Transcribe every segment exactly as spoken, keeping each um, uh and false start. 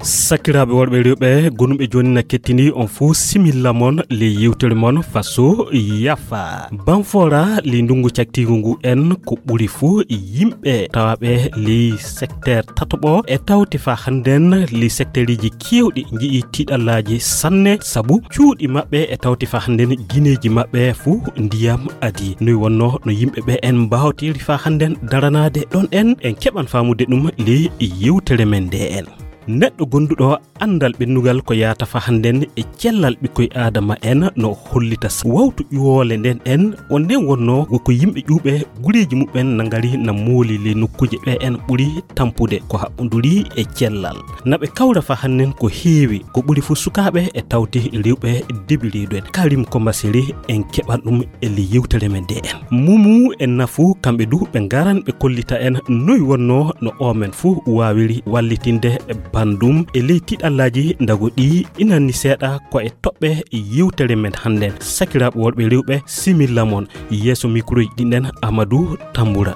Sakiraaɓe worɓe e rewɓe, gonuɓe jooni na kettini on fuu similla mon ley yewtere mon Faso Yafa. Banfoora ley ndungu caktiingu ngu en ko ɓuri fuu yimɓe tawaaɓe ley secteur tataɓo e tawti faa hannden ley secteuriji keewɗi nji'i tiiɗallaaji sanne sabu cuuɗi maɓɓe e tawti faa hannden gineeji maɓɓe fuu ndiyam adii. Noy wonnoo no yimɓe ɓe en mbaawtiri faa hannden daranaade ɗon en, en keɓan faamude ɗum ley yewtere men nde en. Neɗɗo gonduɗo anndal ɓennugal ko yaata faa hannden e cellal ɓikkoy Aadama en no hollita s-, wawtu ƴuwoole nden en, on nden wonnoo wo ko yimɓe ƴuuɓe gureeji muɓɓen na ngari na mooli ley nokkuuje ɓe en ɓuri tampude ko haɓɓunduri e cellal. Na ɓe kawra faa hannden ko heewi, ko ɓuri fuu sukaaɓe e tawti rewɓe debi reedu en. Karim Kombaseri en keɓan ɗum e ley yewtere men nde en. Mumu e Nafu, kamɓe du ɓe ngaran ɓe kollita en noy wonnoo no oo men fuu waawiri wallitinde banndum e ley tiiɗallaaji ndago ɗi inanni seeɗa ko e toɓɓe yewtere men hannden. Sakiraaɓe worɓe e rewɓe, similla mon. Yeeso mikroji ɗin en, Amadou Tambura.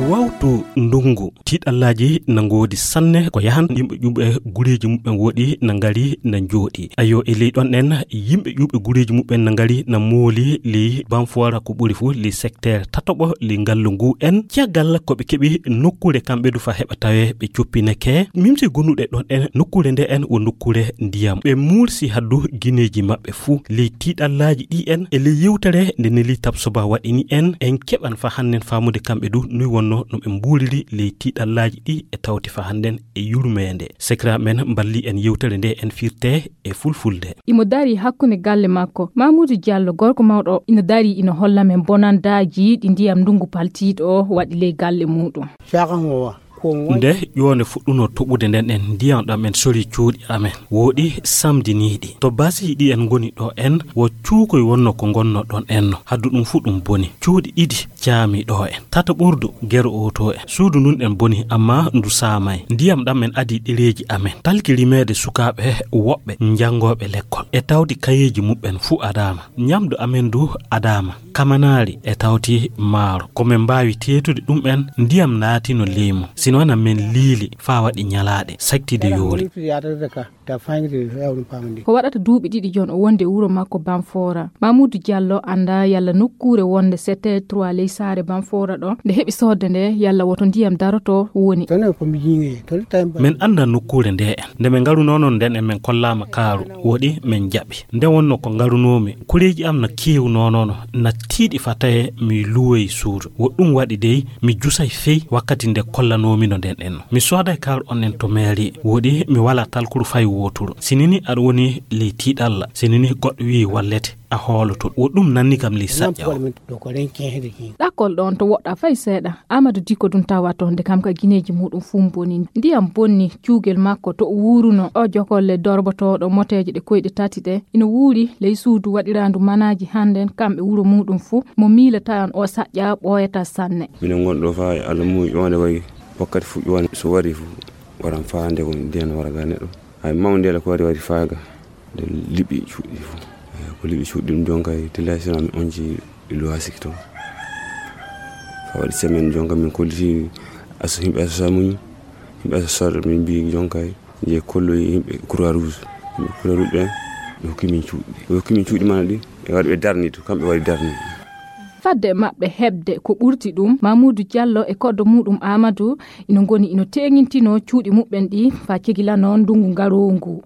Wawtu ndungu. Tiiɗallaaji na ngoodi sanne ko yahan yimɓe ƴuuɓe gureeji muɓɓen woɗi na ngari na njooɗi. Ayo, e ley ɗon en, yimɓe ƴuuɓe gureeji muɓɓen na ngari na mooli ley Banfoora ko ɓuri fuu ley secteur tataɓo ley ngallu ngu en. Caggal ko ɓe keɓi nokkuure kamɓe du faa heɓa tawee ɓe coppineke. Mimsi gonuɗe ɗon en, nokkuure nde en wo nokkuure ndiyam. Ɓe muursi haddu gineeji maɓɓe fuu ley tiiɗallaaji ɗi en. E ley yewtere nde Neli Tabsoba waɗini en, en keɓan faa hannden faamude kamɓe du noy wonnoo no ɓe mbuuriri ley tiiɗallaaji ɗi e tawti faa hannden e yurmeende. Sekiraaɓe men mballii en yewtere nde en firtee e fulfulde. Imo darii hakkunde galle makko. Mamuudu Jallo, gorko mawɗo, ina darii ina holla men bonandaaji ɗi ndiyam ndungu paltiiɗo o waɗi ley galle muuɗum. Nde ƴoonde fuɗɗunoo toɓude nden en, ndiyam ɗam en sori cuuɗi amen, wooɗi samdiniiɗi. To basi ɗi en ngoni ɗo en, wo cuukoy wonnoo ko ngonnoo ɗon en no. Haddu ɗum fuu ɗum boni. Cuuɗi ɗiɗi caami ɗo en. Tata ɓurdu gero oto en. Suudu ndun en boni, ammaa ndu saamay. Ndiyam ɗam en adii ɗereeji amen. Talki rimeede sukaaɓe woɓɓe njanngooɓe lekkol. E tawdi kayeeji muɓɓen fuu adaama. Nyamdu amen du adaama. Kamanaari e tawti maaro. Ko men mbaawi teetude ɗum en, ndiyam naatino leymu. Sino wona men liili faa waɗi nyalaaɗe, sakti de yoori. Ko waɗata duuɓi ɗiɗi jon o wonde e wuro makko Banfoora. Mamuudu Jallo anndaa yalla nokkuure wonde sept trois ley saare Banfoora ɗo, nde heɓi soodde nde, yalla woto ndiyam daroto woni. Men anndaa nokkuure nde en. Nde men ngarunoo non nden en men kollaama kaaru, woɗi men jaɓi. Nde wonnoo ko ngarunoomi, kureeji am na keewunoo non, na tiiɗi faa tawee mi luwoyi suudu. Wo ɗum waɗi dey, mi jusay fey wakkati nde kollanoomi no nden en. Mi sooday kaaru on en to meeri, woɗi mi walaa talkuru fay wooturu. Sinini aɗa woni ley tiiɗalla, sinini goɗɗo wi'i wallete, a hooloto. Wo ɗum nanni kam ley saƴƴa o. Ɗakkol ɗon to woɗɗa fay seeɗa. Amadou Diko ɗum tawato nde kam ka gineeji muɗum fuu boni. Ndiyam bonni cuugel makko to o wuuruno. O jokolle dorbotooɗo moteeje ɗe koyɗe tati ɗe. Ina wuuri ley suudu waɗiraandu manaaji hannden kamɓe wuro muɗum fuu. Mo miilata on o saƴƴa ɓooyata sanne. Minen ngon ɗo faa e Allah mum ƴoonde wayi wakkati fuu ƴoonde so wari fuu waran faa nde ko ndiyam wara ga neɗɗo. Hay mawnde ko wari wari faa ga. Nde liɓi cuuɗi fof. Eyi, ko liɓi cuuɗi ɗum jonka e tillay sina mi onji luwasiki toon. Fa waɗi semaine jonka min kolliti aso, yimɓe aso samuñi, yimɓe aso sarɗo min mbi jonka e je kolloyi yimɓe Croix Rouge. Yimɓe Croix Rouge ɓen ɓe hokki min cuuɗi. Ɓe hokki min cuuɗi mana ɗi e waɗi ɓe darni to, kamɓe waɗi darni. Fadde maɓɓe heɓde ko ɓurti ɗum, Mamoudou Diallo e koɗdo muɗum Amadou ina ngoni ina teeŋintinoo cuuɗi muɓɓen ɗi faa cegilano ndungu ngaroo ngu.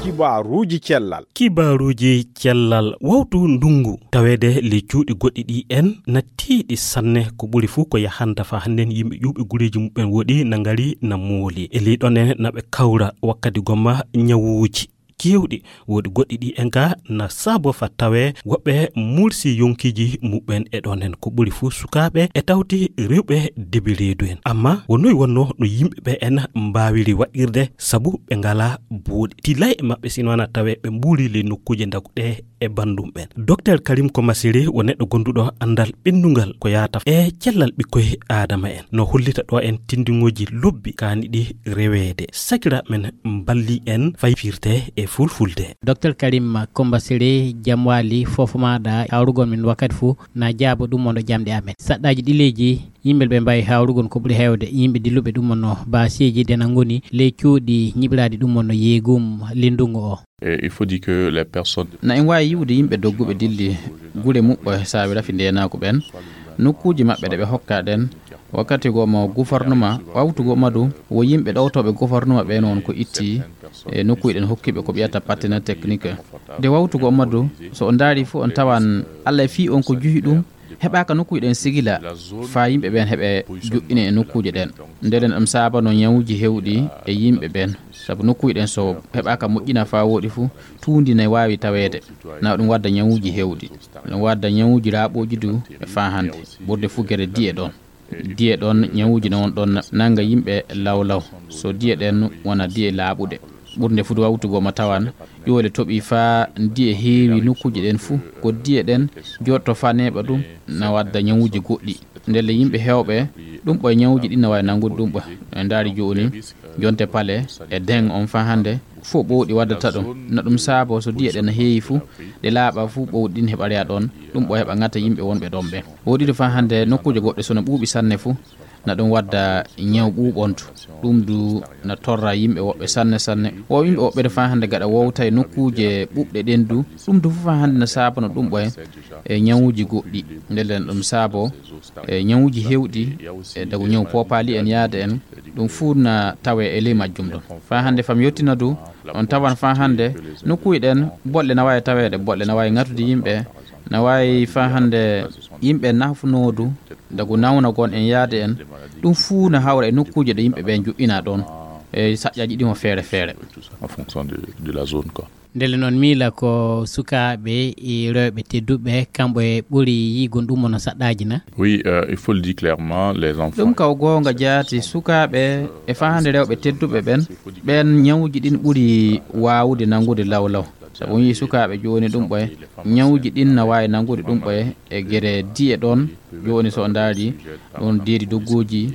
Kibaaruuji cellal. Kibaaruuji cellal. Wawtu ndungu taweede ley cuuɗi goɗɗi ɗi en na tiiɗi sanne, ko ɓuri fuu ko yahanta faa hannden yimɓe ƴuuɓe gureeji muɓɓen woɗi na ngari na mooli. E ley ɗon en na ɓe kawra wakkati gomma ñawuuji keewɗi. Woodi goɗɗi ɗi en ka na saabo faa tawee woɓɓe mursi yonkiiji muɓɓen e ɗon en, ko ɓuri fuu sukaaɓe e tawti rewɓe debi reedu en. Amma wo noy wonnoo no yimɓe ɓe en mbaawiri waɗirde sabu ɓe ngalaa buuɗi? Tilay e maɓɓe sino wana tawee ɓe mbuuri ley nokkuuje ndagu ɗe e banndum ɓen. Docteur Karim Komasere wo neɗɗo gonduɗo anndal ɓenndungal ko yaata e cellal ɓikkoy aadama en. No hollita ɗo en tinndingooji lobbi kaani ɗi reweede. Sakiraaɓe men mballi en fay firte e fulfulde. Docteur Karim Kombasere, jam waali, fofo maaɗa hawrugol min wakkati fuu, na jaabo ɗum on ɗo jamɗe amen. Saɗɗaaji ɗi leydi, yimɓe ɓe mbawi hawrugol ko ɓuri heewde, yimɓe dilluɓe ɗum on no baasiiji dena ngoni ley cuuɗi ñiɓiraaɗi ɗum on no yeegum lindungu o. Et il faut dire que les personnes Na en waawi yi'ude yimɓe dogguɓe dilli gure muɓɓe saawi rafi ndeenaaku ɓen, nokkuuji maɓɓe ɗe ɓe hokkaa ɗen. Wakkati goo mo gouvernement, wawtu goo madu, wo yimɓe ɗowtooɓe gouvernement ɓen on ko itti e nokkuuji ɗen hokkiiɓe ko ɓiyata partenaire technique. Nde wawtu goo madu, so on ndaari fof on tawan Alla e fii on ko juhi ɗum, heɓaaka nokkuuji ɗen sigila faa yimɓe ɓen heɓe joƴƴine e nokkuuje ɗen. Ndeen ɗum saabano ñawuuji heewɗi e yimɓe ɓen. Sabu nokkuuje ɗen so heɓaaka moƴƴina faa wooɗi fu, tuundi ne waawi taweede. Na ɗum wadda ñawuuji heewɗi. Ɗum wadda ñawuuji laaɓooji du e faa hannde. Ɓurde fu gere diye ɗon. Diye ɗon, ñawuuji ne won ɗon nannga yimɓe law law. So diye ɗen wona diye laaɓuɗe. Ɓurnde fu du wawtu goo ma tawan ƴoole toɓi faa diye heewi nokkuuje ɗen fu. Ko diye ɗen jooɗto faa neeɓa ɗum na wadda ñawuuji goɗɗi. Ndelle yimɓe heewɓe ɗum ɓoye ñawuuji ɗin na waawi nanngude ɗum ɓoye. En ndaari jooni jonte pale e deŋ on faa hannde fof ɓowɗi waddata ɗum. Na ɗum saabo so diye ɗen na heewi fu, ɗe laaɓa fu ɓowɗi ɗin heɓa reya ɗon. Ɗum ɓoye heɓa ŋata yimɓe wonɓe ɗon ɓen. Woɗɗi du faa hannde nokkuuje goɗɗe so na ɓuuɓi sanne fu, na ɗum wadda ñaw ɓuuɓontu. Ɗum du na torra yimɓe woɓɓe sanne sanne. Wo yimɓe woɓɓe du faa hannde gaɗa wowta e nokkuuje ɓuuɓɗe ɗen du. Ɗum du fof faa hannde na saabano ɗum ɓoye e ñawuuji goɗɗi. Ndelle na ɗum saabo e ñawuuji heewɗi e dagu ñaw poopaali en yaade en. Ɗum fuu na tawee e ley majjum ɗon. Faa hannde fam yottina du, on tawan faa hannde nokkuuje ɗen bolle na waawi taweede, bolle na waawi ŋatude yimɓe, na waawi faa hannde yimɓe nafnoo du, dagu nawna gon en yaade en. Ɗum fuu na hawra e nokkuuje ɗe yimɓe ɓen joƴƴinaa ɗon, e saƴƴaaji ɗin o feere feere. En fonction de, de la zone, quoi. Ndelle noon miila ko sukaaɓe e rewɓe tedduɓe, kamɓe ɓuri yiigol ɗum no saɗɗaaji na? Oui, euh, il faut le dire clairement, les enfants. Ɗum kaw goonga jaati, sukaaɓe e faa hannde rewɓe tedduɓe ɓen, ɓen ñawuuji ɗin ɓuri waawude nanngude law law. Sabu on yii sukaaɓe jooni ɗum ɓoye, ñawuuji ɗin na waawi nanngude ɗum ɓoye e gere diye ɗon. Jooni so on ndaari ɗum deedi dogguuji,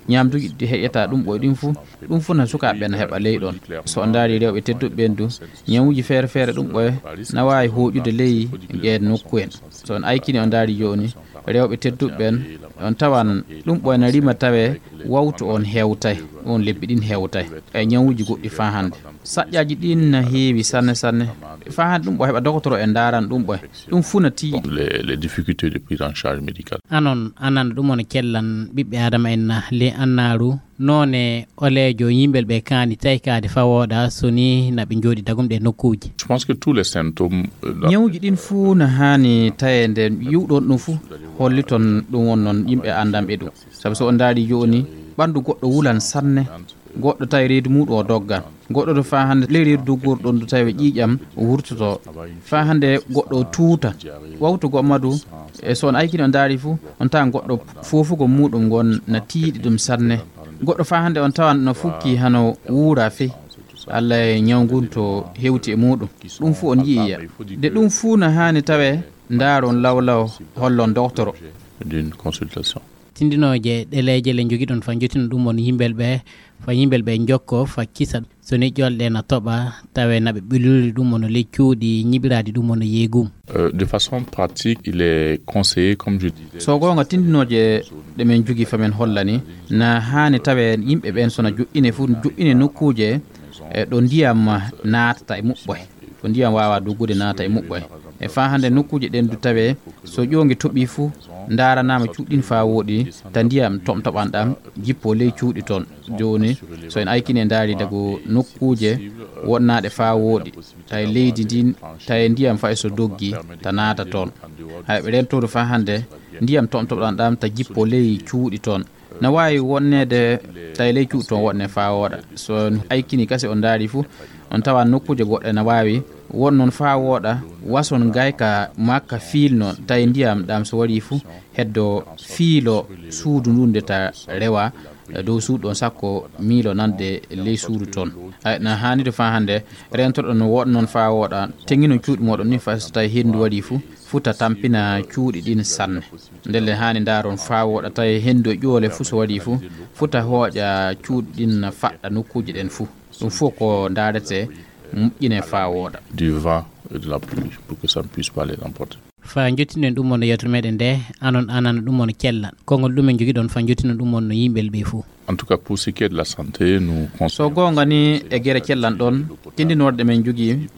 ñaamduuji ɗi heƴata ɗum ɓoye ɗin fuu, ɗum fuu na sukaaɓe ɓen na heɓa ley ɗon. So on ndaari rewɓe tedduɓe ɓen du, ñawuuji feere feere ɗum ɓoye na waawi hooƴude ley ngeen nokku en. So on aykini on ndaari jooni rewɓe tedduɓe ɓen, on tawan ɗum ɓoye na rima tawee wawtu on hewtay, ɗum lebbi ɗin hewtay. E ñawuuji goɗɗi faa hannde. Saƴƴaaji ɗin na heewi sanne sanne. Faa hannde ɗum ɓoye heɓa dogotoro e ndaarana ɗum ɓoye. Ɗum fuu na tiiɗi. Les, les difficultés de prise en charge médicale. Anon, anan ɗum on cellan ɓiɓɓe Aadama en na le annaaru, noone oleejo yimɓe ɓe kaani taykaade faa wooɗa, so ni na ɓe njooɗi dagum ɗe nokkuuji. Je pense que tous les symptômes, euh, Ñawuuji ɗin fuu na haani taweede, yi'uɗon ɗum fuu, holliton ɗum won noon yimɓe anndanɓe ɗum. Sabu so on ndaari jooni, ɓanndu goɗɗo wulan sanne, goɗɗo tawi reedu muuɗum o doggan. Goɗɗo du faa hannde ley reedu doggorɗon du tawi ƴiiƴam wurtoto. Faa hannde goɗɗo o tuuta. Wawtu goo madu, e so on aykini on ndaari fuu, on tawan goɗɗo foofugol muuɗum ngon na tiiɗi ɗum sanne. Goɗɗo faa hannde on tawan no fukki hano wuura fey. Alla e ñaw ngun to hewti e muuɗum. Ɗum fuu on yi'iya. De ɗum fuu na haani tawee ndaaron law law hollon doktoro. D'une consultation. Tindinooje ɗeleeje le njogiɗon fa njottino ɗum on yimɓel ɓe, fa yimɓel ɓe njokko, fa kisa. So ni ƴolɗe na toɓa, tawe na ɓe ɓiluli ɗum on ley cuuɗi ñiɓiraaɗi ɗum on yeegum. Euh, de façon pratique, il est conseillé, comme je disais. So goonga tindinooje ɗe men jogi fa men hollani, na haani tawe yimɓe ɓen so na joƴƴine fu, joƴƴine nokkuuje, e ɗo ndiyam naatata e muɓɓoy. Ko ndiyam waawaa doggude naata e muɓɓoy. E faa hannde nokkuuje ɗen du tawee so ƴoonge toɓii fu, ndaaranaama cuuɗi ɗin faa wooɗi, ta ndiyam toɓtoɓan ɗam jippoo ley cuuɗi toon. Jooni, so en aykini en ndaari dago nokkuuje wonnaaɗe faa wooɗi, tawi leydi ndin, tawi ndiyam fay so doggi, ta naata toon. Hay ɓe rentooru faa hannde, ndiyam toɓtoɓan ɗam ta jippoo ley cuuɗi toon. Na waawi wonneede tawi ley cuuɗi toon woɗne faa wooɗa. So en aykini kasi on ndaari fu, on tawa nokkuuje goɗɗe na waawi Won noon faa wooɗa, wason gayka makka fiilno, tawi ndiyam ɗam so waɗii fuu, heddo fiilo suudu ndun de ta rewa, e dow suudu ɗon sakko miilo nande ley suudu ton. Ay, na haanide faa hannde, reentoɗon no wooɗa noon faa wooɗa, teŋinon cuuɗi mooɗon ni faa so tawi henndu waɗii fuu, fuu ta tampina cuuɗi ɗin sanne. Ndelle haani ndaaron faa wooɗa, tawi henndu e ƴoole fuu so waɗii fuu, fuu ta hooƴa cuuɗi ɗin faɗɗa nokkuuje ɗen fuu. Ɗum fof ko ndaarete, moƴƴine faa wooɗa. Du vent et de la pluie pour que ça ne puisse pas les emporter. Fa jottinen ɗum on no yewtere meɗen nde, anon anana ɗum on cella. Konngol ɗum en jogiɗon fa jottinen ɗum on no yimɓe ɓe fof. En tout cas, pour ce qui est de la santé, nous conseillons. So goonga ni e gere cellan ɗon, tindinorde men jogii,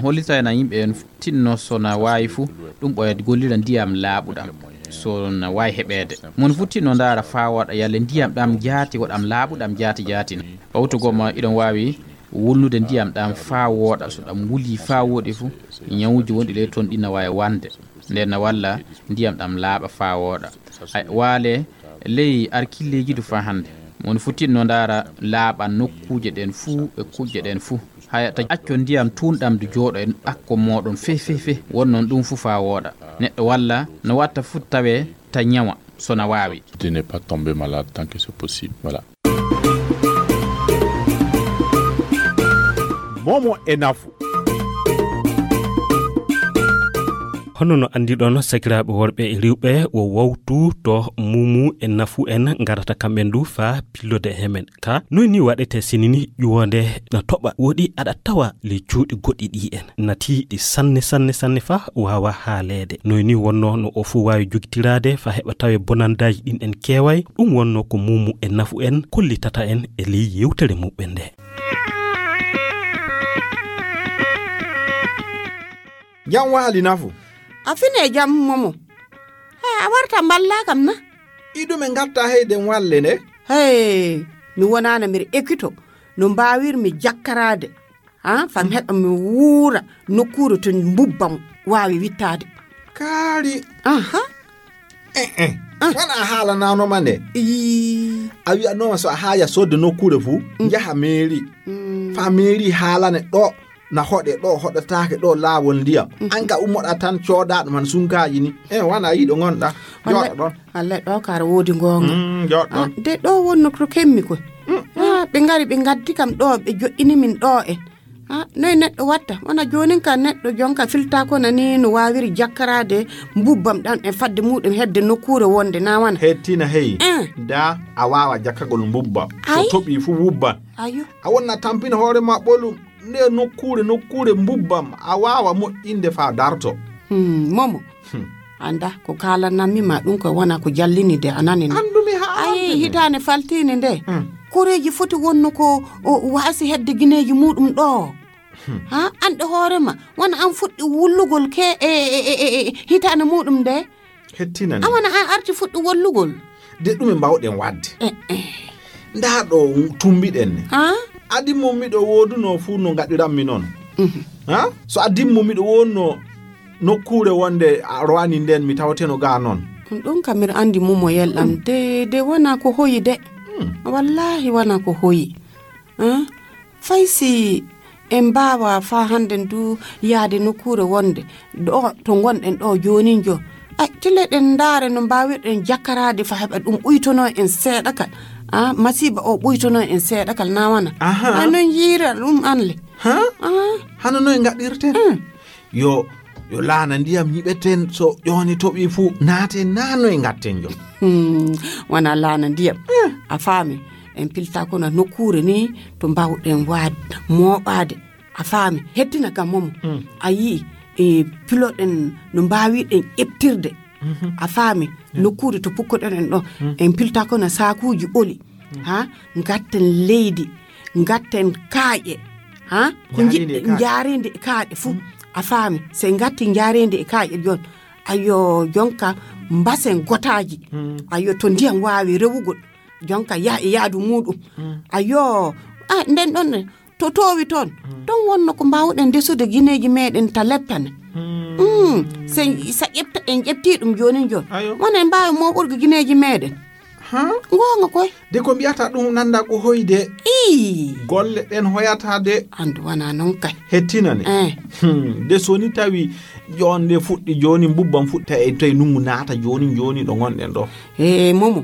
hollitayna yimɓe en tinno so na waawi fof, ɗum ɓoya gollira ndiyam laaɓuɗam. So na waawi heɓeede. Mon fof tinno ndaara faa wooɗa yalle ndiyam ɗam jaati, waɗam laaɓuɗam jaati jaati. Ɓawto goma iɗon waawi wulnude ndiyam ɗam faa wooɗa. So ɗam wulii faa wooɗi fof, ñawuuji wonɗi ley ton ɗin na waawi wande. Nden na walla ndiyam ɗam laaɓa faa wooɗa. Ay, waale ley arkilleeji du faa hannde. Woni futinno ndaara laaɓa nokkuuje ɗen fuu e kuƴƴe ɗen fuu. Haya ta acco ndiyam tuunɗam du jooɗo e ɗakko mooɗon feh, feh, feh. Won noon ɗum fuu faa wooɗa. Neɗɗo walla no watta fuu tawee ta ñawa so na waawi. De ne pas tomber malade tant que c'est possible. Voilà. Momo e nafu. Hono no anndiɗon, sakiraaɓe worɓe e rewɓe, o wawtu to mumu e nafu en ngarata kamɓe ndu faa pillode he men. Ka noy ni waɗete sinini ƴuwonde na toɓa woɗi aɗa tawa ley cuuɗi goɗɗi ɗi en nati ɗi sanne, sanne, sanne faa waawa haaleede. Noy ni wonno no o fuu waawi jogitiraade faa heɓa tawe bonandaaji ɗin en keeway. Ɗum wonno ko mumu e nafu en kollitata en e ley yewtere muɓɓen nde. Jam waali nafu. A fine jam momo. He, a warta mballa kam na? Iɗum e ngatta heyden walle nde? Hey, mi wonaana mbiɗa ekkito no mbaawirmi jakkaraade. Ha, fam heɓa mi wuura nokkuure to mbubbam waawi wittaade. Kaari. Aha. Eh, eh. Ah. Wona a haalananoma nde? Ii. A wi'anoma so a haaya sodde nokkuure fuu, mm, njaha meeri. Mm. Faa meeri haalane ɗo na hoɗe, ɗo hoɗataake, ɗo laawol ndiyam. Mm. An ka ummoɗa tan cooda ɗum han sunkaaji ni. Eh, wona yiɗo ngonɗa. Wallay, jooɗo ɗon. Wallay ɗo kara woodi ngoonga. Mm, jooɗo ɗon. Ah, de ɗo wonno to kemmi koy. Mm, mm. Ah, ɓe ngari ɓe ngaddi kam ɗo, ɓe joɗɗini min ɗo en. Ah, noy neɗɗo watta? Wona joonin ka neɗɗo jonka filta ko nani no waawiri jakkaraade mbubbam ɗam e fadde muɗum hedde nokkuure wonde na wana? Hettina hey. Eh. Da a waawa jakkagol mbubbam. Ay. So toɓi fu wubban. Ayo. A wonna tampina hoore ma ɓolum. Nde nokkuure, nokkuure mbubbam. A waawa moƴƴinde faa darto. Hmm, momo. Hmm. Anda, ko kaalanammi ma ɗum ko wona ko jallini de a nani no? Anndumi haa. Ayi, hitaande faltiinde nde. Hmm. Koreeji foti wonno ko o waasi hedde gineeji muɗum ɗo. Hmm. Ha, an ɗe hoore ma, wona an fuɗɗi wullugol ke e, e, e, e, e hitaande muɗum nde? Hettinani. A wona an arti fuɗɗi wollugol. De ɗume mbawɗen waɗde? Eh, eh. Ndaa ɗo tumbiɗen ne. Ha? Adi mo miɗo woodunoo fuu no ngaɗiranmi noon. Mhm. Ha? So adin mo miɗo wonno nokkuure wonde a rowani nden mi tawateno gaa noon. Ɗum kam miɗo anndi mumoyel am. Mm. De, de wona ko hoyi de. Mm. Wallaahi wona ko hoyi. Ha? Fay si en mbaawa faa hannden du yahde nokkuure wonde ɗo to ngonɗen ɗo joonin jo. Ay, tile ɗen ndaare no mbaawirɗen jakkaraade faa heɓa ɗum ɓuytonoo en seeɗa kal. Ah, masiiba o ɓuytonoo en seeɗa kal na wana. Aha. Ay, noon yiira ɗum an le. Ha? Ah. Hano noy ngaɗirten? Mm. Yo, yo laana ndiyam nyiɓeten so ƴooni toɓi fuu naaten na noy ngatten jo. Hmm, wona laana ndiyam. Eh. A faami, en pilta kono nokkuure ni to mbaawɗen waad mooɓaade. A faami, hettina kam momo. Hmm. A yii, e piloɗen no mbaawirɗen ƴeɓtirde. Mhm. A faami, yeah, nokkuure to pukkoɗen en ɗo. Hmm. En pilta kono saakuuji oli. Hmm. Ha, ngatten leydi, ngatten kaaƴe. Ha, ko njaarindi e kaaƴe. Njaarindi e kaaƴe fuu. Hmm. A faami, so en ngatti njaarindi e kaaƴe jon. Ayo, jonka mbasen gotaaji. Hmm. Ayo, to ndiyam waawi rewugol. Jonka yaha e yaadu muɗum. Hmm. Ayo, ah, nden ɗon ne, to toowi toon, hmm, toon wonno ko mbaawɗen ndesude gineeji meeɗen ta leppane. Hmm. Hmm. Sen, sa ƴefta, en ƴeftii ɗum joonin joon. Ayo. Wona en mbaawi mooɓorgo gineeji meeɗen. Goonga koy. De ko mbiyata ɗum nanda ko hoyde. Ii. Golle ɗen hoyata de. Andu wana non kay. Hettina ne. Eh. Hmm. De soni tawi jonde fuɗɗi joni, mbubbam fuɗɗi, tawi, tawi nungu naata joni, joni ɗo ngonɗen ɗo. Eh, Momo.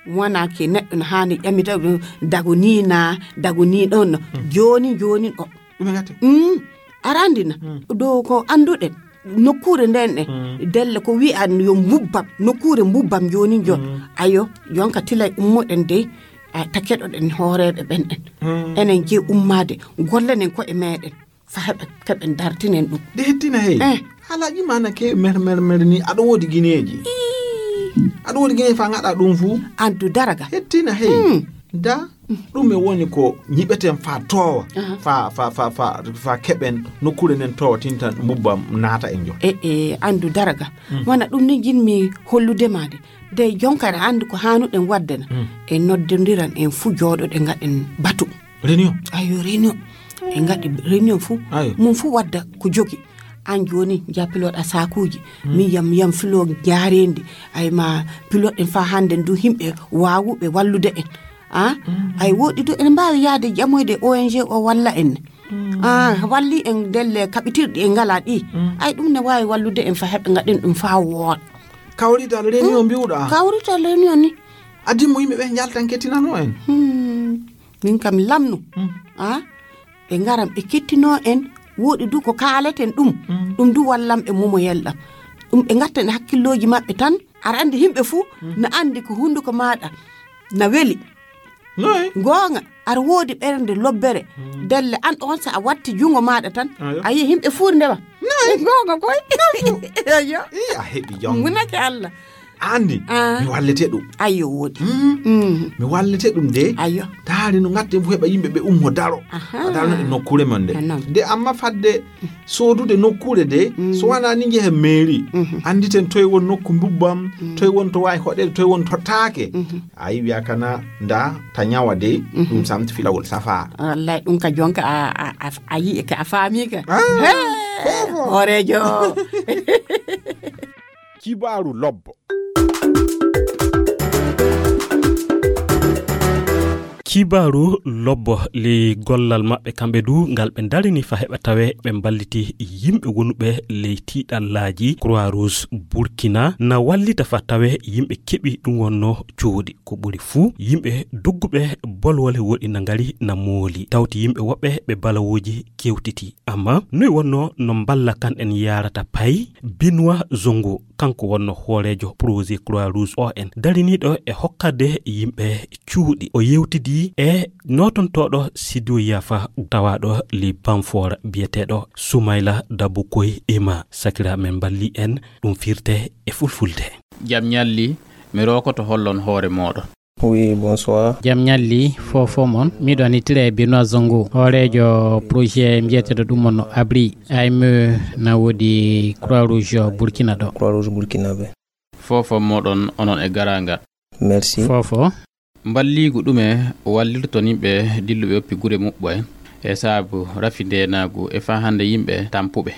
Wona ke neɗɗo no haani ƴamita ɗum, dago ni na, dago ni ɗon no. Hmm. Joni, joni ɗo. Ɗum e ngate? Mm. Aɗa anndi na? Mm. Ɗo ko annduɗen. Nokkuure nden ɗen. Mm. Delle ko wi'an yo mbubbam. Nokkuure mbubbam jooni jon. Mm. Ayo, jonka tilay ummoɗen dey. A, ta keɗoɗen hooreeɓe ɓen ɗen. Mm. Enen je ummaade. Gollenen ko'e meɗen. Fa heɓen, keɓen dartinen ɗum. De hettina hey. Eh. Haalaaji ma na keewi mer, mer, mer ni. Aɗa woodi gineeji. Ii. Aɗa woodi gineeji fa ngaɗa ɗum fu. Andu daraga. Hettina hey. Mm. Da. Ɗum e woni ko nyiɓeten fa toowa, aha, fa, fa, fa, fa, fa keɓen nokkuure nden toowa tintan mbubbam naata en jon. E, e, andu daraga. Mm. Wona ɗum ni jinmi hollude ma de. De jonka aɗa andu ko haanuɗen wadde na. Mm. En noddondiran en fu jooɗoɗen ngaɗen batu. Réunion? Ayo, réunion. En ngaɗi réunion fu. Ayo. Mum fu wadda ko jogi. An joni, ja piloɗa sakuuji. Mm. Min yam, yam filo jaarendi. Ay ma piloɗen fa hande ndu himɓe waawuɓe wallude en. Ah? Mm. Ay woɗi du en mbaawi yaade ƴamoyde O N G o walla en. Mm. Ah, walli en delle kaɓitirɗi en ngala ɗi. Mm. Ay ɗum ne waawi wallude en fa heɓe ngaɗen ɗum fa wooɗa. Kawrital réunion mbiwɗa? Kawrital réunion ni. Addi mo yimɓe ɓe njaltan kettinano en. Hmm. Min kam lamnu. Hmm. Ah? Ɓe ngaran ɓe kettinoo en, woɗi du ko kaaleten ɗum. Hmm. Ɗum du wallam e momoyel ɗam. Ɗum ɓe ngatten e hakkillooji maɓɓe tan. Aɗa anndi yimɓe fuu, hmm, na anndi ko hunnduko maaɗa na weli. Noy? Goonga, aɗa woodi ɓernde lobbere. Hmm. Delle an on so a watti junngo maaɗa tan, ayo, a yi'i yimɓe fuu ndewa. Noy? Goonga koy. Ayo. Ii, a heɓi jom. Munake Allah. Andi, ah, mi wallete ɗum. Ayyo, woodi. Mm. Mm. Mi wallete ɗum de. Ayyo. Taari no ngatten fu heɓa yimɓe ɓe ummo daro. Aha. A daro e nokkuure mon nde. Ah, non. De amma fadde soodude nokkuure de, mm, so wona ni njehen mairie. Mhm. Anditen toye won nokku mbubbam, mm, toye won to waawi hoɗeede, toye won to taake. Mhm. Ayi wiya kana nda ta nyawa de, mhm, ɗum samti filawol safa. Wallahi ɗum ka jonka a, a, a, a yi'i ka a faami ka. Ah, hey! Fofo. Hooreejo. Kibaaru lobbo. Kibaaru lobbo ley gollal maɓɓe kamɓe du ngal ɓe ndarini fa heɓa tawe ɓe mballiti yimɓe wonuɓe ley tiiɗallaaji. Croix Rouge Burkina na wallita fa tawe yimɓe keɓi ɗum wonno cuuɗi. Ko ɓuri fuu, yimɓe dogguɓe bolwole woɗi na ngari na mooli. Tawti yimɓe woɓɓe ɓe balawooji kewtiti. Amma noy wonno no mballa kan en yaarata pay? Benoît Zongo, kanko wonno hooreejo projet Croix Rouge O N, dariniiɗo e hokkade yimɓe cuuɗi. O yewtidi e nootontooɗo Sidiyo Yafa tawaaɗo ley Banfora biyeteeɗo Soumaila Dabukoy Ema. Sakira men mballi en ɗum firte e fulfulde. Jam ñalli, mi rookoto hollon hoore mooɗon. Oui, bonsoir. Jam ñalli, fofo mon. Miɗo anitire e Benoît Zongo, hooreejo projet mbiyeteeɗo ɗum on Abri. A M E na woodi Croix Rouge Burkina ɗo. Croix Rouge Burkina ɓe. Fofo moɗon onon e garangal. Merci. Fofo. Mballiigu ɗume wallirton yimɓe dilluɓe oppi gure muɓɓe e saabu rafi ndeenaagu e faa hannde yimɓe tampuɓe?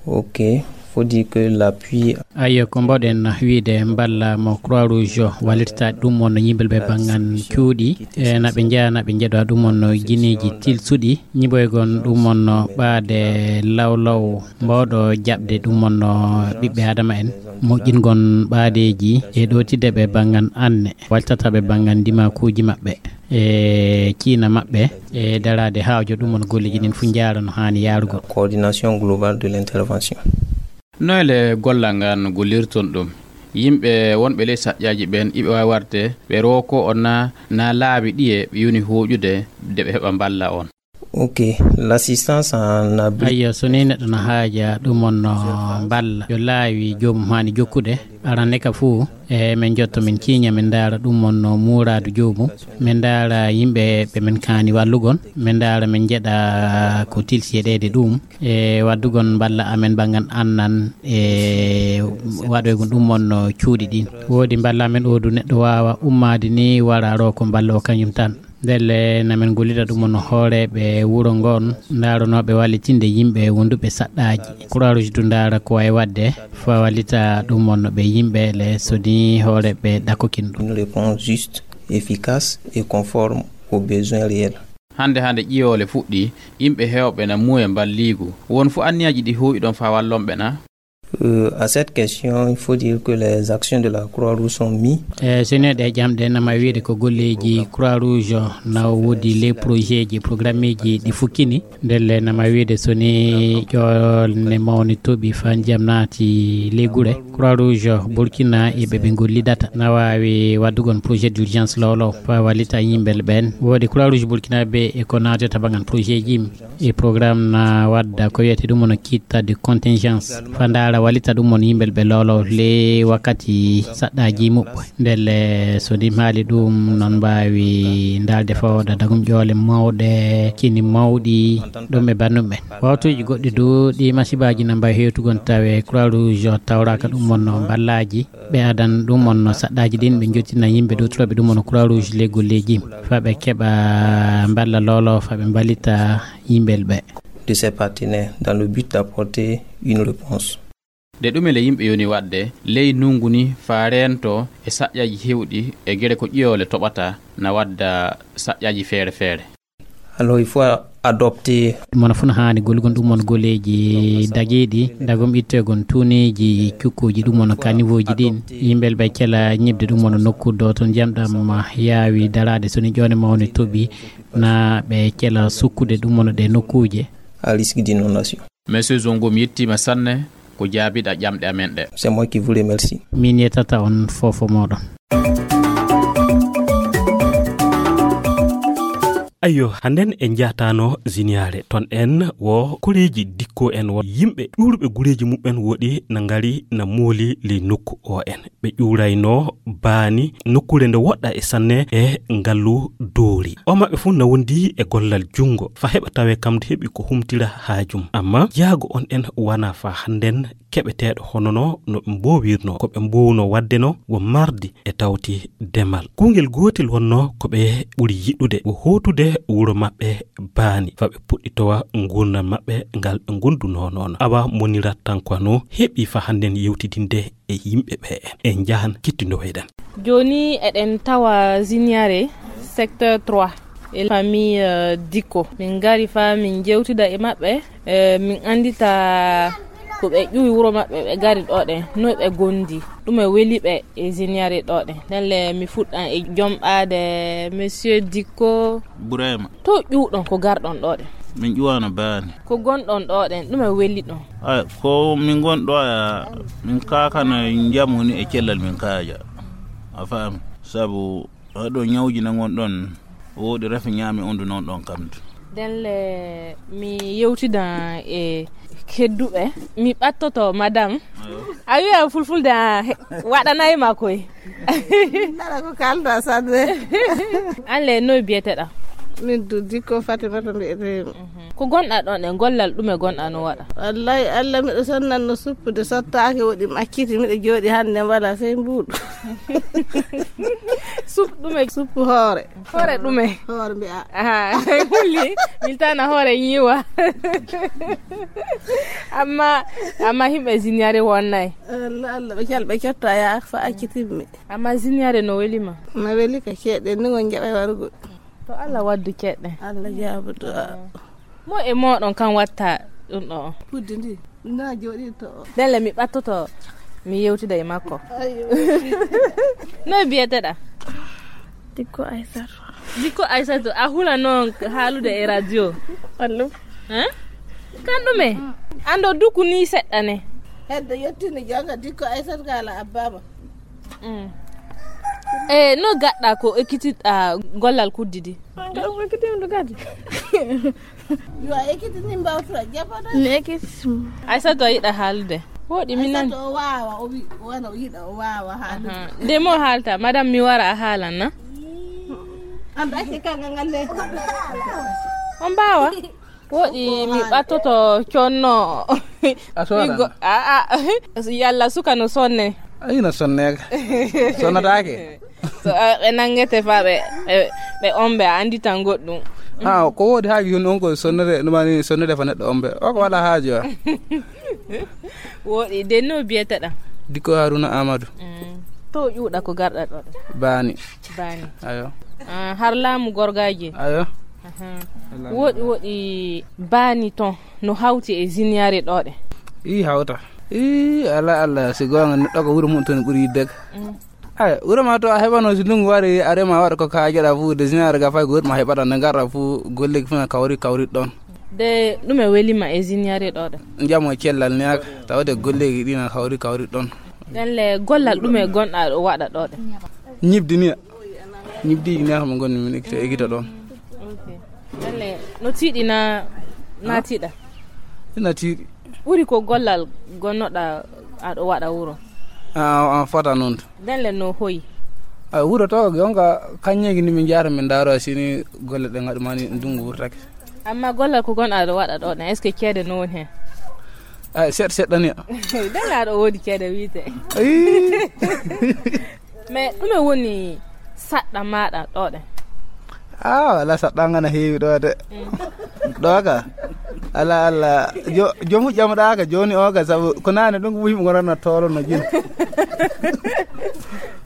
Ok, faut dire que l'appui. Ayyo, ko mboɗen wiide mballa mo Croix Rouge wallirta ɗum on no yimɓe ɓe banngan cuuɗi, e na ɓe njeya, na ɓe njeɗa ɗum on no gineeji tilsuɗi, ñiɓoygon ɗum on no ɓaade lawlaw mbawɗo jaɓde ɗum on no ɓiɓɓe Adama en, moƴƴingon ɓaadeeji e ɗootide ɓe banngan anne, waltata ɓe banngan ndimakuuji maɓɓe, e ciina maɓɓe, e daraade haawjo ɗum on golleeji ɗin fu njaara no haani yaarugol. Coordination globale de l'intervention. Noyle gollal ngal gollirton ɗum? Yimɓe wonɓe ley saƴƴaaji ɓen, iɓe waawi warde ɓe rooko on na, na laabi ɗiye ɓe yoni hooƴude de ɓe heɓa mballa on? Ok, l'assistance en abri. Ayyo, so ni neɗɗo no haaja ɗum on no mballa, yo laawi joomum haani jokkude. Arande ka fuu, e men jotto men ciiña, men ndaara ɗum on no muuraadu joomum. Men ndaara yimɓe ɓe men kaani wallugon. Men ndaara men njeɗa ko tilsi e ɗeede ɗum. E waddugon mballa amen banngan annan e waɗoygon ɗum on no cuuɗi ɗin. Woodi mballa amen oo du neɗɗo waawa ummaade ni wara roo ko mballa o kañum tan. Ndelle na min gollida ɗum on hooreeɓe wuro ngoon, ndaaronooɓe wallitinde yimɓe wonduɓe saɗɗaaji. Croix Rouge du ndaara ko wayi waɗde, fa wallita ɗum on ɓe yimɓe le, so ni hooreeɓe ɗakokin ɗum. Une réponse juste, efficace et conforme aux besoins réels. Hannde hannde ƴiyoole fuɗɗii, yimɓe heewɓe na muuya mballiigu. Won fu anniyaaji ɗi huuwiɗon faa wallonɓe na? Euh, à cette question, il faut dire que les actions de la Croix-Rouge sont mises. E sene ɗe jamɗe nama wiide ko golleeji Croix Rouge na woodi les projets ji programmeeji ɗi fukkini. Ndelle nama wiide so ni ƴoolne mawni toɓi fa ndiyam naati ley gure. Croix Rouge Burkina e ɓe ɓe gollidata na waawi waddugon projet d'urgence lowlow fa wallita yimɓe ɓen. Woodi Croix Rouge Burkina be e ko naatata bangan projet ji e programme na wadda ko wiyete ɗum on kit de contingence fa ndaara wallita ɗum on yimɓe ɓe lowlow le wakkati saɗɗaaji muɓɓe. Ndelle so ni maali ɗum non mbaawi ndaalde fawda dagum ƴoole mawɗe, kini mawɗi, ɗum e bannum ɓen. Wawtuuji goɗɗi du ɗi masibaaji na mbaawi hewtugon tawe Croix Rouge tawraaka ɗum on mballaaji. Ɓe adan ɗum on saɗɗaaji ɗin, ɓe jottina yimɓe ɗowtirooɓe ɗum on Croix Rouge ley golleeji fa ɓe keɓa mballa lowlow fa ɓe mballita yimɓe ɓe. De ses partenaires dans le but d'apporter une réponse. Nde ɗume le yimɓe yoni waɗde ley nungu ni faa reento e saƴƴaji hewɗi e gere ko ƴiyoole toɓata na wadda saƴƴaji feere feere? Alors, il faut adopter. Mono fuu no haani gollugol ɗum on golleeji dagiiɗi, dagum itteegon tuuniiji cukkuuji ɗum on kaniwooji ɗin. Yimɓe ɓe cela ñiɓde ɗum on nokku ɗo to ndiyam ɗam yaawi daraade, so ni ƴoone mawne toɓi, na ɓe cela sukkude ɗum on ɗe nokkuuje. À risque d'inondation. Monsieur Zongo, mi yettiima sanne ko jaabiɗa ƴamɗe amen ɗe. C'est moi qui vous remercie. Min yettata on fofo mooɗon. Ayyo, hannden en njahtaano Ziniyaare. Ton en wo koreeji dikko en wo yimɓe ɗuuruɓe gureeji muɓɓen woɗi na ngari na mooli ley nokku o en. Ɓe ƴuurayno baani nokkuure nde woɗɗa e sanne e ngallu doori. O maɓɓe fuu na wondi e gollal junngo fa heɓa tawe kam nde heɓi ko humtira haajum. Amma jaago on en wana fa hannden keɓeteeɗo hono no no ɓe mboowirno. Ko ɓe mboowno waɗde no wo mardi e tawti demal. Kuungel gootel wonno ko ɓe ɓuri yiɗude wo hootude wuro maɓɓe baani fa ɓe puɗɗitowa nguurndam maɓɓe ngal ɓe ngondunoo noon. Awa monirat tan ko no heɓi fa hannden yewtidinde e yimɓe ɓe en njahan kittindowoyɗen. Jooni eɗen tawa Ziniare, secteur trois, e famille, euh, Dikko. Min ngari fa min jewtida e maɓɓe, euh, min anndita ko ɓe ƴuwi wuro maɓɓe, ɓe ngari ɗo ɗen, no ɓe gondi, ɗume weli ɓe e Ziniare ɗo ɗen. Ndelle mi fuɗɗan e jomɓaade monsieur Dikko. Burema. To ƴuwɗon ko garɗon ɗo ɗen? Min ƴuwano baani. Ko gonɗon ɗo ɗen, ɗume weli ɗon? Ay, ko min ngon ɗo ya, min kakana njamu ni e cellal min kaaja. A faami? Sabu haɗo ñawji na ngon ɗon, woodi rafi ñaami on du non ɗon kam du. Ndelle mi yewtida e kedduɓe. Mi ɓattoto madame. Ayo. A wiya fulfulde a he-, waɗanay ma koy. Nana ko kalda sanne. An le no biyeteɗa? Min du Dikko Fatimata mbiyetemi. Ko gonɗa ɗon e gollal ɗume gonɗa no waɗa? Wallahi Allah miɗo sonnan no suppude sottaake woɗi makkiti miɗo jooɗi hannde mbala sey mbuuɗu. Sup ɗume? Suppu hoore. Hoore ɗume? Hoore mbiya. Aha, hulli. Miltana hoore yiwa. Amma, amma himɓe Ziniare wonnay. Allah, Allah, ɓe cal-, ɓe cotta ya fa accitimmi. Amma Ziniare no weli ma? No weli ka ceeɗe ni ngon jaɓay warugol. To Allah waddu ceeɗe. Allah jaabu du'a. Mo e moɗon kan watta ɗum ɗo? Puddi ndi. Na jooɗi to. Ndelle mi ɓattoto, mi yewtida e makko. Ayo. No biyeteɗa? Dikko Aysatu. Dikko Aysatu, a hula noon haalude e radio? Allo. Hein? Kan ɗume? Ando duku ni seɗɗa ne. Hedde yettini jonga Dikko Aysatu ka ala abbama. Mm. E no gaɗɗa ko ekkitiɗɗa gollal kuddi di? Ɗum ekkitima ɗum kadi. Yo a ekkiti ni mbawtura jaɓata. Mi ekkiti. Aysatu a yiɗa haalde. Woɗi mi nani. Aysatu o waawa, o wi-, wona o yiɗa, o waawa haalde. Aha. Nde mo haalta, madame mi wara a haalan na? An ɗa acce kanga ngal le. On mbaawa? Woɗi mi ɓattoto conno. A soodana? Mi go-, a, a. Yalla suka no sonne. Ay, no sonne ka. Sonnataake. So, eh, ɓe nanngete fa ɓe, ɓe, ɓe ombe, a anndi tan goɗɗum. Ah, ko woodi haaju hino on ko sonnere, ɗum woni sonnere fa neɗɗo ombe. O ko wala haaju, ah. Woɗi, de no biyeteɗaa? Dikko Haruna Amadou. Mm. To ƴuuɗa ko garɗa ɗo ɗo? Baani. Baani. Ayo. Ah, har laamu gorgaaji? Ayo. Aha. Woɗi, woɗi baani ton no hawti e ziniyaare ɗo ɗe? Ii, hawta. Ii, ala, ala, si goonga neɗɗo ko wuro mum ton ɓuri yidde ka. Mm. Ay, wuro ma to a heɓano, si ndungu wari, a rema, waɗa ko kaajaɗa fu, de ziniyaare ga fay ko wuro ma heɓata, nde ngarɗa fu, golleeji fu na kawri, kawri ɗon. De ɗume weli ma e ziniyaare ɗo ɗe? Jamo cellal ne aka, tawde golleeji ɗi na kawri, kawri ɗon. Ɗen le gollal ɗume gonɗa ɗo waɗa ɗo ɗe? Ñibdi ni. Ñibdi ni aka mo gonni min ekkita, ekkita ɗon. Ok. Ɗen le no tiiɗi na, na tiiɗa? Ina tiiɗi. Ɓuri ko gollal gonnoɗa aɗo waɗa wuro? Ah, ah, fota noon. Nden le no hoyi? Ah, wuro to, jonka kañeeji ni min njahata min ndaaro sini golle ɗe ngaɗu mani ndungu wurtake. Amma gollal ko gon aɗo waɗa ɗo ɗen, est-ce que ceede no woni hen? Ah, seɗɗa seɗɗa ni. Nden le aɗo woodi ceede wiite. Ayii. Mais ɗume woni saɗɗa maɗa ɗo ɗen? Ah, wala saɗɗa ngana heewi ɗo de. Mm. Ɗo ka. Ala, ala. Jo-, jomu ƴamɗa ka joni o ka, sabu ko nane ɗum ko yimɓe ngorana tolo no jin.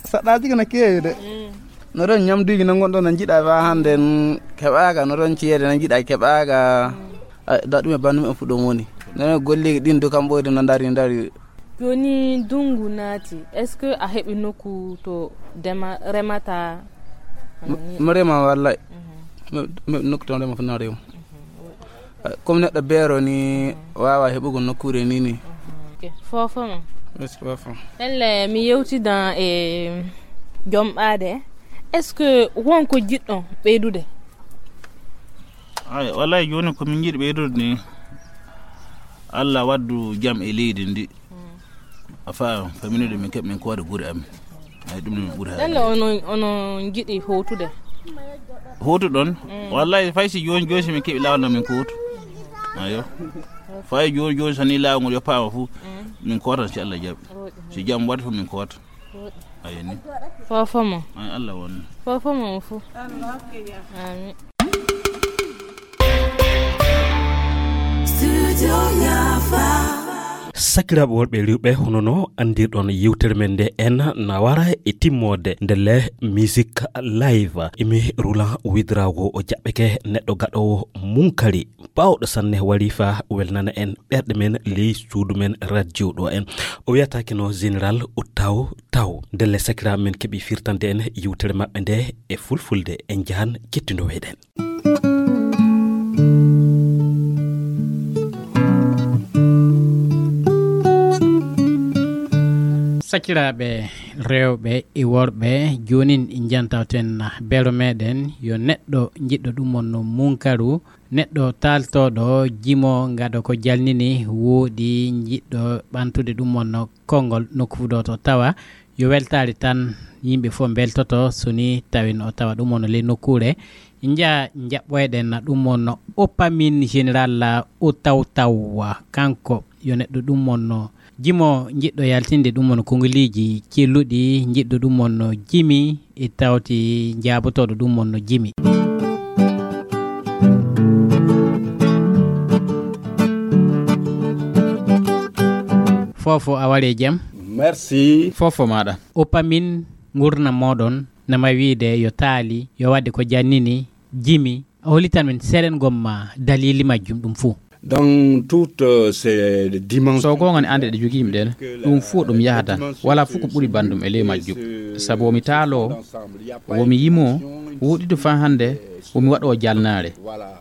Saɗɗa tigi na keewi de. Mm. No ɗon ñamduuji no ngonɗon no njiɗa fa hande n-, keɓaka, no ɗon ceede no njiɗa keɓaka. Mm. Ay, da ɗum e banndum en fu ɗon woni. Nana golleeji ɗin du kam ɓoyde no ndari, ndari. Jooni ndunngu naati, est-ce que a heɓi nokku to dema-, remata? M-, mi rema wallay. Mhm. Mi, mi nokku to rema fof na rema. Mhm. Eh, comme neɗɗo beero ni, mhm, waawa heɓugo nokkuure ni ni. Mhm. Ok. Fofo ma. Merci, fofo. Elle, mi yewtidan e jomɓaade. Est-ce que won ko jiɗɗon ɓeydude? Ay, wallahi jooni ko min njiɗi ɓeydude ni, Allah waddu jam e leydi ndi. Mm. A faama, faminude min keɓ min koode gure amin. Ay, ɗum min ɓuri haayde. Ɗelle onon, onon njiɗi howtude? Howtuɗon? Mm. Wallahi, fay si jooni, jooni si min keɓi laawol no min kowtu. Ayo. Fay jooni, jooni so ni laawol ngol yoppaama fu, mm, min kowtan si Allah jaɓi. Woɗi. Si jam waɗi fu min kowta. Ayo ni. Fofo mo. Ay, Allah won. Fofo mo fu. Amin. Sakiraaɓe worɓe e rewɓe, hono no anndirɗon yewtere men nde en na wara e timmoode nde le musique live. Emi Roland Ouédraogo o jaɓɓeke neɗɗo gaɗoowo munkari. Baawɗo sanne wari fa welnana en ɓerɗe men ley suudu men radio ɗo en. O wiyataake no Général Outaw Taw. Ndelle sakiraaɓe men keɓi firtande en yewtere maɓɓe nde e fulfulde. En njahan kettindo weyɗen. Sakiraaɓe rewɓe e worɓe, joonin njantawten beero meɗen yo neɗɗo jiɗɗo ɗum on no munkaru, neɗɗo taaltooɗo jimo ngado ko jalnini wooɗi jiɗɗo ɓantude ɗum on no konngol nokku fu ɗo to tawa yo weltaare tan yimɓe fof mbeltoto so ni tawi no tawa ɗum on no ley nokkuure nja jaɓɓoyɗen na ɗum on no oppamin général o taw taw kanko yo neɗɗo ɗum on no jimo jiɗɗo yaltinde ɗum on kongoliiji celluɗi jiɗɗo ɗum on no jimi e tawti jaabotooɗo ɗum on no jimi. Fofo a ware jam. Merci. Fofo maɗa. Opamin ngurna moɗon nama wiide yo taali yo wadde ko jannini jimi a holitan min seeɗen gomma dalili majjum ɗum fuu. Dans toutes ces dimensions. So goonga ne annde ɗe jogiimi ɗen ɗum fof ɗum yahata wala fof ko ɓuri banndum e ley majjum. Sabu womi taaloo, womi yimoo, woɗiɗo faa hannde womi waɗoo jalnaare.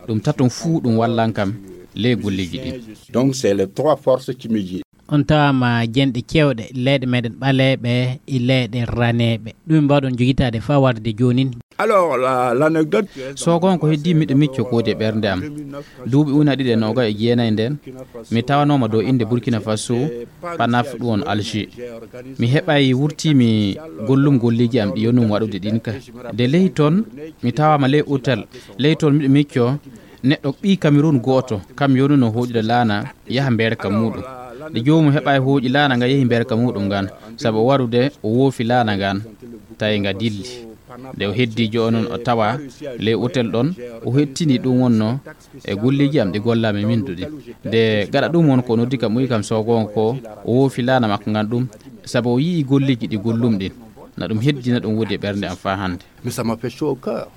Ɗum tatum fuu ɗum wallan kam ley golleeji ɗin. Donc c'est les trois forces qui me guident. On tawaama jenɗe cewɗe leyɗe meɗen ɓaleeɓe e leyɗe raneeɓe ɗum mbawɗon jogitaade faa warde joonin. Alors la, l'anecdote. Sogon ko heddii miɗo micco koodi e ɓernde am. Duuɓi una ɗiɗi e noga e jeenayi nden mi tawanooma dow innde Burkina Faso panaf ɗum on Alger. Mi heɓay wurtiimi gollum golleeji am ɗi yonum waɗude ɗin ka. De ley ton mi tawaama ley hôtel. Ley ton miɗo micco neɗɗo ɓii Cameroun gooto kam yonuno hooƴude laana yaha mbeerka muuɗum. De joomum heɓay hooƴi laana nga yehi mbeerka muuɗum ngan sabu o warude o woofi laana ngan. Tawi nga dilli. Nde o heddi joonon o tawa ley otel ɗon, o hettini ɗum wonno e golleeji am ɗi gollaami min duɗi. Nde gaɗa ɗum won ko noddi kam, uwi kam so goonga ko o woofi laana makko ngan ɗum, sabu o yi'i golleeji ɗi gollum ɗin. Na ɗum heddina ɗum wodi e ɓernde am faa hannde. Mais ça m'a fait chaud au cœur.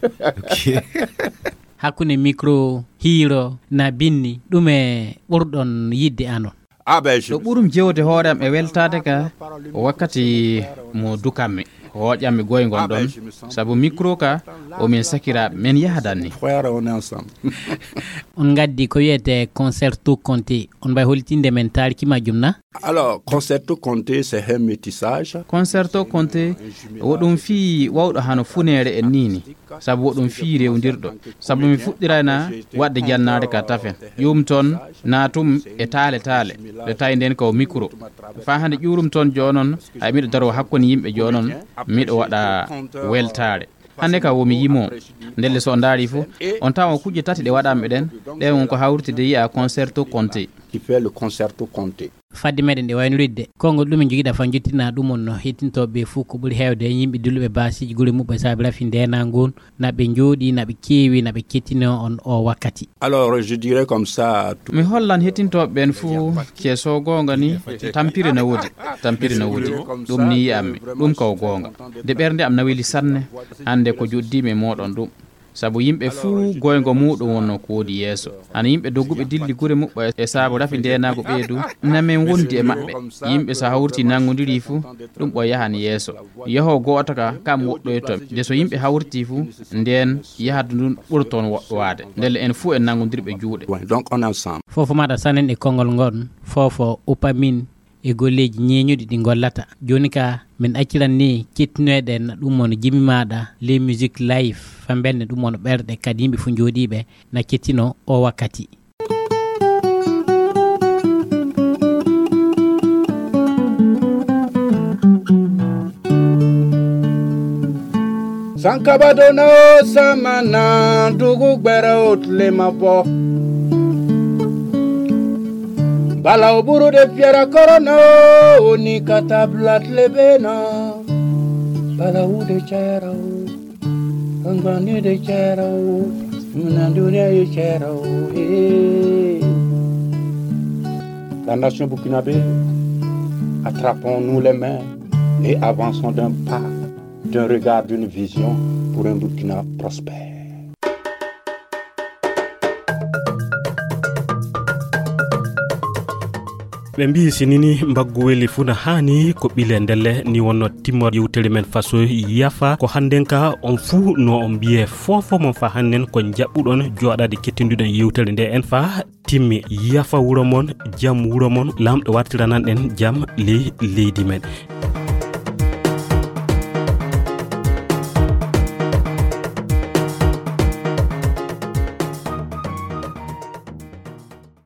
Hakkunde micro, hiiro, na binni, ɗume ɓurɗon yiɗde anon? Ah ben, je... Ɗo ɓurum jewde hoore am e weltaade ka wakkati mo dukammi, hooƴammi goyngol ɗon, sabu micro ka o min sakiraaɓe, men yahadan ni. Frère, on est ensemble. On ngaddi ko wiyetee concerto Conte, on mbay holtinde men taariki majjum na? Alors, concerto Conte, c'est un métissage. Concerto Conte, wo ɗum fii wawɗo hano funeere en nii ni, sabu wo ɗum fii rewndirɗo. Sabu mi fuɗɗirayna waɗde jannaade ka tafen. Ƴuum toon naatum e taale taale, nde tawi nden ko micro. Faa hannde ƴuurum toon joonon, ay miɗo daroo hakkunde yimɓe joonon, miɗo waɗa weltaare. Hannde ka wo mi yimoo, ndelle so on ndaari fof, on tawa kujje tati ɗe waɗanmi ɗen, ɗen won ko hawriti de yi'a concerto Conte. Qui fait le concerto Conte. Fadde meɗen ɗe waynoridde, konngol ɗumen jogiɗa fa jottina ɗum on no hettintooɓe ɓe fof ko ɓuri heewde e yimɓe dilluɓe baasiiji gure muɓɓe saabi rafi ndeenaangu on, na ɓe njooɗi, na ɓe keewi, na ɓe kettino on o wakkati. Alors, je dirais comme ça, tout... Mi hollan hettintooɓe ɓen fof, ke so goonga ni, tampire na wodi, tampire na wodi, ɗum ni yi'ammi, ɗum ko goonga. De ɓernde am na weli sanne, hannde ko joddimi e mooɗon ɗum. Sabu yimɓe fuu goyngo muuɗum wonno ko woodi yeeso. Hano yimɓe dogguɓe dilli gure muɓɓe e saabu rafi ndeenaagu ɓeydu, na men wondi e maɓɓe. Yimɓe so hawriti nanngondirii fuu, ɗum ɓo yahan yeeso. Yaho gooto ka, kam woɗɗoyto. De so yimɓe hawriti fuu, ndeen yahadu ndun ɓurton woɗɗowaade. Ndelle en fuu en nanngondirɓe juuɗe. Ouais, donc on est ensemble. Foofo maɗa sanen e konngol ngon, foofo upamin e golleeji ñeeñuɗi ɗi ngollata. Jooni ka, min acciran ni kettinoyɗe na ɗum woni jimi maaɗa, les musiques live, fa mbenne ɗum woni ɓerɗe kadi yimɓe fof njooɗiiɓe na kettino o wakkati. Sankabado na o samana dugu gbɛrɛ o tile ma bɔ. Bala o buru de fiara kɔrɔ na o ni ka taa bila tile bɛ na. Bala o de cayara o. Kangani de cayara o. Muna dunia ye cayara o. Eh. La nation burkinabé, attrapons-nous les mains et avançons d'un pas, d'un regard, d'une vision pour un Burkina prospère. Ɓe mbii si nini mbaggu weli fuu na haani ko ɓile ndelle ni wonno timmoode yewtere men faso yafa ko hannden ka on fuu no on mbiyee foofo mon fa hannden ko njaɓɓuɗon jooɗaade kettinduɗen yewtere nde en fa timmi yafa wuro mon jam wuro mon laamɗo wartiranan en jam ley leydi men.